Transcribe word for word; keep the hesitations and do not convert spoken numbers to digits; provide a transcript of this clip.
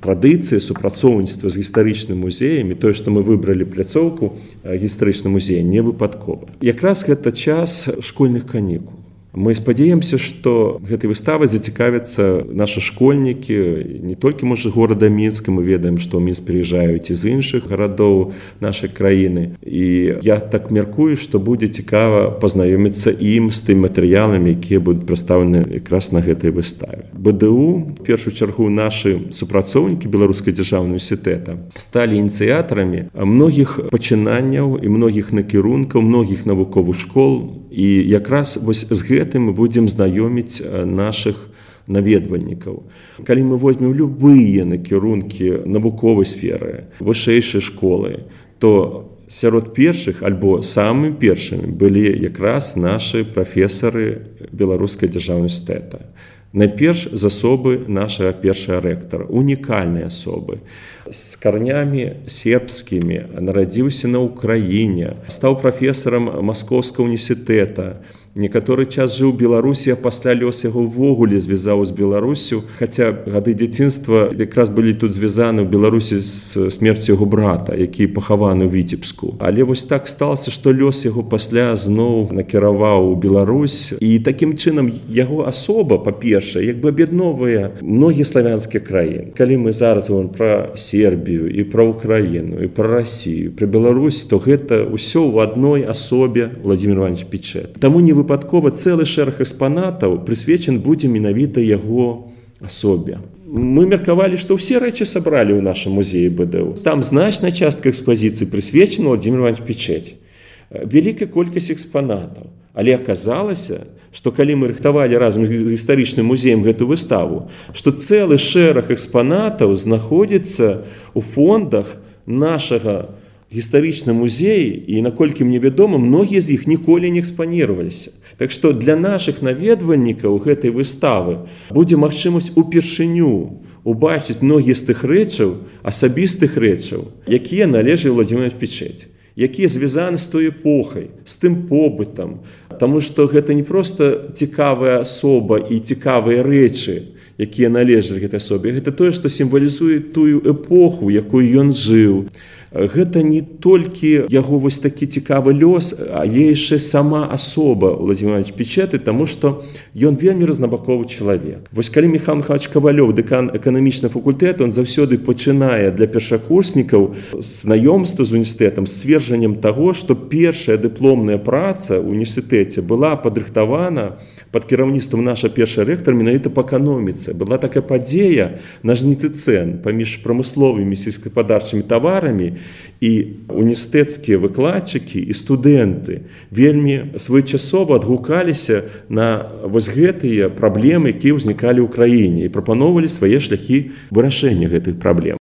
традыцыі супрацоўніцтва з гістарычным музеем і тое, што мы выбралі пляцоўку гістарычны музей, не выпадкова. Якраз гэта час школьных канікул. Мы спадзяемся, што гэтай выставай зацікавяцца нашы школьнікі не толькі, можа, горада Мінска, мы ведаем, што ў Мінск прыязджаюць і з іншых гарадоў нашай краіны. І я так мяркую, што будзе цікава пазнаёміцца ім з тымі матэрыяламі, якія будуць прадстаўлены якраз на гэтай выставе. БДУ, в першую чаргу, нашы супрацоўнікі Беларускага дзяржаўнага універсітэта сталі ініцыятарамі многіх пачынанняў і многіх накірункаў, многіх навуковых школ. І якраз вось з гэтым мы будзем знаёміць нашых наведвальнікаў. Калі мы возьмем любыя накірункі навуковай сферы, вышэйшай школы, то сярод першых альбо самымі першымі былі якраз нашы прафесары Беларускага дзяржаўнага універсітэта. Найперш з асобы нашага першага рэктара, унікальныя асобы, з карнямі сербскімі, нарадзіўся на Ўкраіне, стаў прафесарам Маскоўскага універсітэта, некаторы час жыў у Беларусі, а пасля лёс яго ўвогуле звязаў з Беларусю, хаця гады дзяцінства якраз былі тут звязаны ў Беларусі з смерцю яго брата, які пахаваны ў Віцебску. Але вось так сталася, што лёс яго пасля зноў накіраваў у Беларусь, і такім чынам яго асоба, па-першае, як бы аб'ядноўвае многія славянскія краіны. Калі мы зараз говорим пра Сербію і пра Украіну, і пра Расію, пра Беларусь, то гэта ўсё ў адной асобе Владимир Иванович Пічэт. Таму не выпадкова цэлы шэраг экспанатаў прысвечан будзе менавіта яго асобе. Мы меркавалі, што ўсе рэчы сабралі ў нашым музеі БДУ. Там значная частка экспазіцыі прысвечана Владимиру Ивановичу Пічэць. Вялікая колькасць экспанатаў. Але аказалася, што калі мы рыхтавалі разам з гістарычным музеем гэту выставу, што цэлы шэраг экспанатаў знаходзіцца ў фондах нашага гістарычны музей, і, наколькі мне вядома, многія з іх ніколі не экспаніраваліся. Так што для нашых наведвальнікаў гэтай выставы будзе магчымасць упершыню убачыць многія з тых рэчаў, асабістых рэчаў, якія належалі Владимиру Ивановичу Пічэць, якія звязаны з той эпохай, з тым побытам, таму што гэта не проста цікавая асоба і цікавыя рэчы, якія належалі гэтай асобе, гэта тое, што сімвалізуе тую эпоху, якую ён жыў. Гэта не толькі яго вось такі цікавы лёс, а яшчэ сама асоба Владимира Ивановича Пічэта, таму што ён вельмі рознабаковы чалавек. Вось калі Михаил Михайлович Кавалёў, дэкан эканамічнага факультэта, он заўсёды пачынае для першакурснікаў знаёмства з універсітэтам, з сцверджаннем таго, што першая дыпломная праца ў універсітэце была падрыхтавана пад кіраўніцтвам наша першы рэктар менавіта па эканоміцы. Была такая падзея на жніцы цэн паміж прамысловымі сельскагаспадарчымі таварамі, і універсітэцкія выкладчыкі і студэнты вельмі своечасова адгукаліся на вось гэтыя праблемы, якія ўзнікалі ў краіне, і прапаноўвалі свае шляхі вырашэння гэтых праблем.